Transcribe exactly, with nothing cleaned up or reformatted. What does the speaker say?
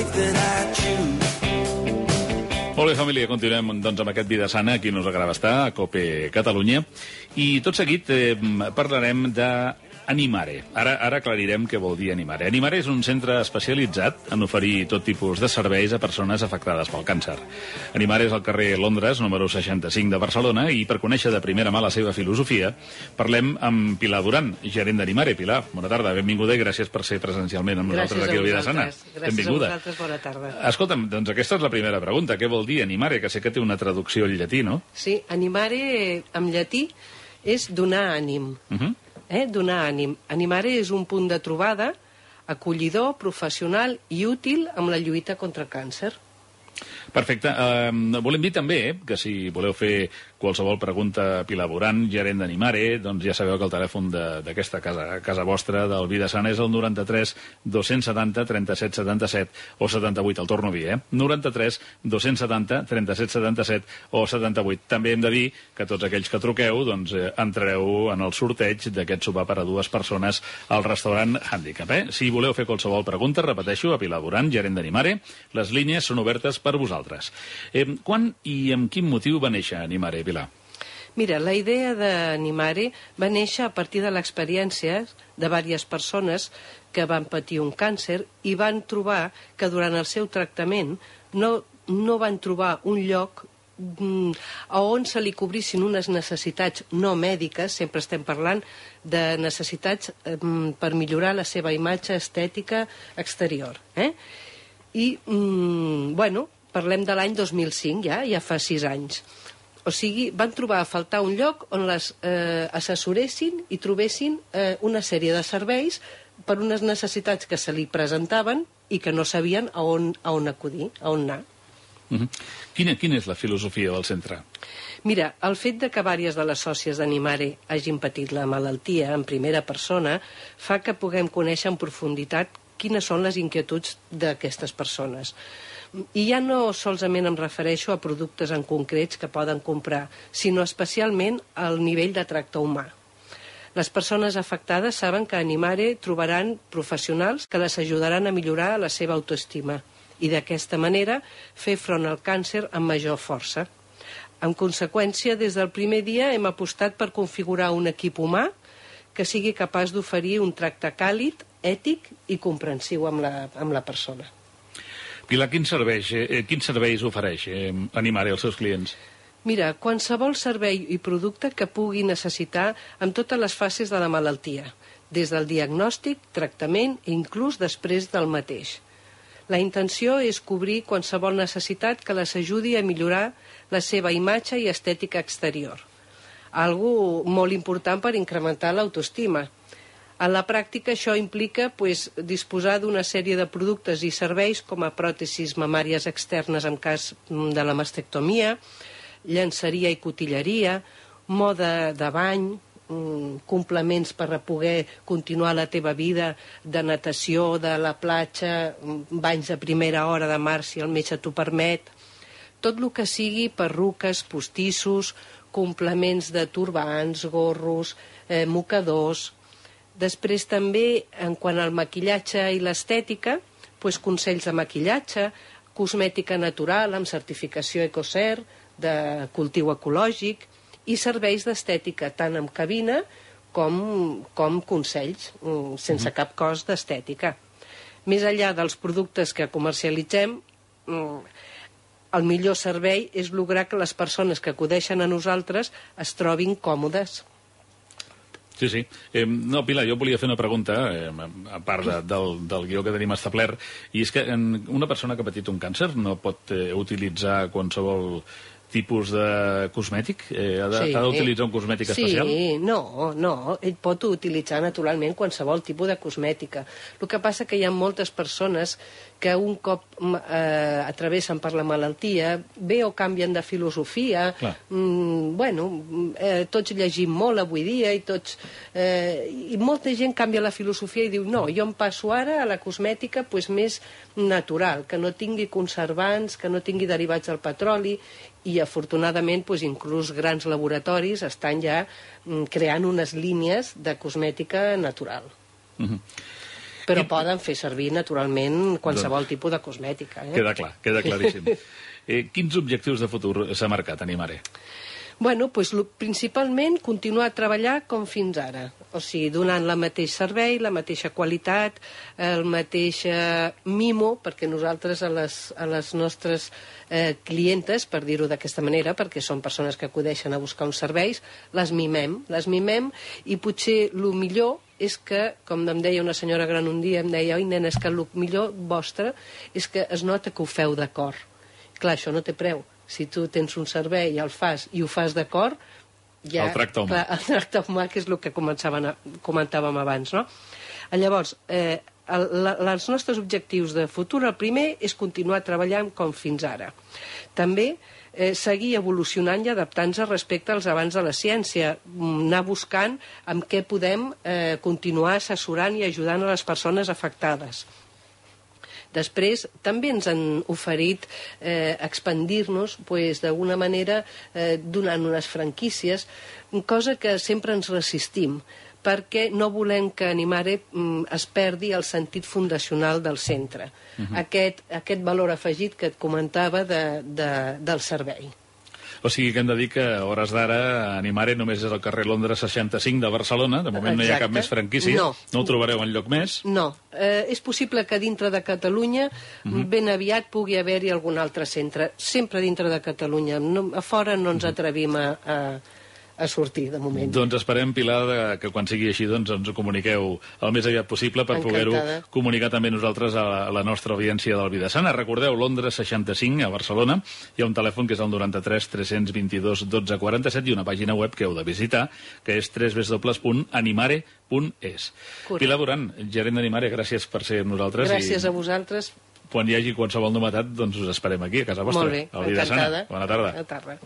life that I choose. Molt bé, família, continuem doncs, amb aquest Vida Sana, aquí nos agrada estar, a COPE Catalunya. I tot seguit eh, parlarem d'Animare. Ara, ara aclarirem què vol dir Animare. Animare és un centre especialitzat en oferir tot tipus de serveis a persones afectades pel càncer. Animare és al carrer Londres, número seixanta-cinc de Barcelona, i per conèixer de primera mà la seva filosofia, parlem amb Pilar Duran, gerent d'Animare. Pilar, bona tarda, benvinguda i gràcies per ser presencialment amb nosaltres aquí a Vida Sana. Gràcies benvinguda. A vosaltres, bona tarda. Escolta'm, doncs aquesta és la primera pregunta. Què vol dir Animare? Que sé que té una traducció al llatí, no? Sí, Animare en llatí és donar ànim. Uh -huh. eh? Donar ànim. Animare és un punt de trobada acollidor, professional i útil amb la lluita contra el càncer. Perfecte. Uh, volem dir també eh, que si voleu fer qualsevol pregunta a Pilar Duran, gerent d'Animare, doncs ja sabeu que el telèfon d'aquesta casa, casa vostra, del Vida Sana, és el noranta-tres dos-cents setanta trenta-set setanta-set o setanta-vuit, el torno a dir, eh? noranta-tres dos-cents setanta trenta-set setanta-set o setanta-vuit. També hem de dir que tots aquells que truqueu doncs, eh, entrareu en el sorteig d'aquest sopar per a dues persones al restaurant Handicap. Eh? Si voleu fer qualsevol pregunta, repeteixo, a Pilar Duran, gerent d'Animare, les línies són obertes per vosaltres. Eh, quan i amb quin motiu va néixer Animare, Pilar? Mira, la idea d'Animare va néixer a partir de l'experiència de diverses persones que van patir un càncer i van trobar que durant el seu tractament no, no van trobar un lloc mm, on se li cobrissin unes necessitats no mèdiques, sempre estem parlant de necessitats mm, per millorar la seva imatge estètica exterior. Eh? I, mm, bueno, parlem de l'any dos mil cinc, ja, ja fa sis anys. O sigui, van trobar a faltar un lloc on les eh, assessoressin i trobessin eh, una sèrie de serveis per unes necessitats que se li presentaven i que no sabien a on, a on acudir, a on anar. Uh -huh. quina, quina és la filosofia del centre? Mira, el fet de que diverses de les sòcies d'Animare hagin patit la malaltia en primera persona fa que puguem conèixer en profunditat quines són les inquietuds d'aquestes persones. I ja no solament em refereixo a productes en concrets que poden comprar, sinó especialment al nivell de tracte humà. Les persones afectades saben que a Animare trobaran professionals que les ajudaran a millorar la seva autoestima i d'aquesta manera fer front al càncer amb major força. En conseqüència, des del primer dia hem apostat per configurar un equip humà que sigui capaç d'oferir un tracte càlid, ètic i comprensiu amb la, amb la persona. Pilar, quins serveis, eh, quins serveis ofereix eh, Animare als seus clients? Mira, qualsevol servei i producte que pugui necessitar en totes les fases de la malaltia, des del diagnòstic, tractament i inclús després del mateix. La intenció és cobrir qualsevol necessitat que les ajudi a millorar la seva imatge i estètica exterior. Algo molt important per incrementar l'autoestima. En la pràctica això implica pues, disposar d'una sèrie de productes i serveis com a pròtesis mamàries externes en cas de la mastectomia, llenceria i cotilleria, moda de bany, complements per poder continuar la teva vida de natació, de la platja, banys a primera hora de mar si el metge t'ho permet, tot el que sigui perruques, postissos, complements de turbants, gorros, eh, mocadors. Després també, en quant al maquillatge i l'estètica, doncs consells de maquillatge, cosmètica natural amb certificació Ecocert, de cultiu ecològic, i serveis d'estètica, tant en cabina com, com consells, sense mm-hmm. cap cost d'estètica. Més enllà dels productes que comercialitzem, el millor servei és lograr que les persones que acudeixen a nosaltres es trobin còmodes. Sí, sí. Eh, no, Pilar, jo volia fer una pregunta, eh, a part de, del, del guió que tenim establert, i és que en una persona que ha patit un càncer no pot eh, utilitzar qualsevol tipus de cosmètic? Eh, ha Sí. d'utilitzar un cosmètic especial? Sí, no, no. Ell pot utilitzar naturalment qualsevol tipus de cosmètica. El que passa que hi ha moltes persones que un cop eh, atravessen per la malaltia, bé o canvien de filosofia, mm, bueno, eh, tots llegim molt avui dia i tots... Eh, i molta gent canvia la filosofia i diu no, jo em passo ara a la cosmètica pues, més natural, que no tingui conservants, que no tingui derivats del petroli, i afortunadament pues, inclús grans laboratoris estan ja mm, creant unes línies de cosmètica natural. Uh-huh. Però poden fer servir, naturalment, qualsevol tipus de cosmètica. Eh? Queda clar, queda claríssim. eh, quins objectius de futur s'ha marcat Animare? Bueno, pues, principalment continuar a treballar com fins ara, o sigui, donant la mateix servei, la mateixa qualitat, el mateix eh, mimo, perquè nosaltres a les, a les nostres eh, clientes, per dir-ho d'aquesta manera, perquè són persones que acudeixen a buscar uns serveis, les mimem, les mimem, i potser el millor és que, com em deia una senyora gran un dia, em deia, oi, nena, és que el millor vostre és que es nota que ho feu de cor. Clar, això no té preu. Si tu tens un servei i el fas i ho fas d'acord, ja... El tracte humà. Clar, el tracte humà, que és el que comentàvem abans, no? Llavors, eh, el, la, els nostres objectius de futur, el primer és continuar treballant com fins ara. També eh, seguir evolucionant i adaptant-se respecte als avanços de la ciència, anar buscant amb què podem eh, continuar assessorant i ajudant a les persones afectades. Després, també ens han oferit eh, expandir-nos pues, d'alguna manera eh, donant unes franquícies, cosa que sempre ens resistim, perquè no volem que Animare mm, es perdi el sentit fundacional del centre, uh-huh. aquest, aquest valor afegit que et comentava de, de, del servei. O sigui que hem de dir que a hores d'ara Animare només és al carrer Londres seixanta-cinc de Barcelona. De moment Exacte. No hi ha cap més franquícia. No, no ho trobareu enlloc més? No. Eh, és possible que dintre de Catalunya uh-huh. ben aviat pugui haver-hi algun altre centre. Sempre dintre de Catalunya. No, a fora no ens atrevim a... a a sortir, de moment. Doncs esperem, Pilar, de, que quan sigui així doncs, ens ho comuniqueu el més aviat possible per poder-ho comunicar també nosaltres a la, a la nostra audiència del Vidasana. Recordeu, Londres seixanta-cinc, a Barcelona, hi ha un telèfon que és el noranta-tres tres-cents vint-i-dos dotze quaranta-set i una pàgina web que heu de visitar, que és w w w punt animare punt es. Pilar Duran, gerent d'Animare, gràcies per ser amb nosaltres. Gràcies i... a vosaltres. Quan hi hagi qualsevol novetat, doncs us esperem aquí, a casa vostra. Molt bé, encantada. Bona tarda. Bona tarda.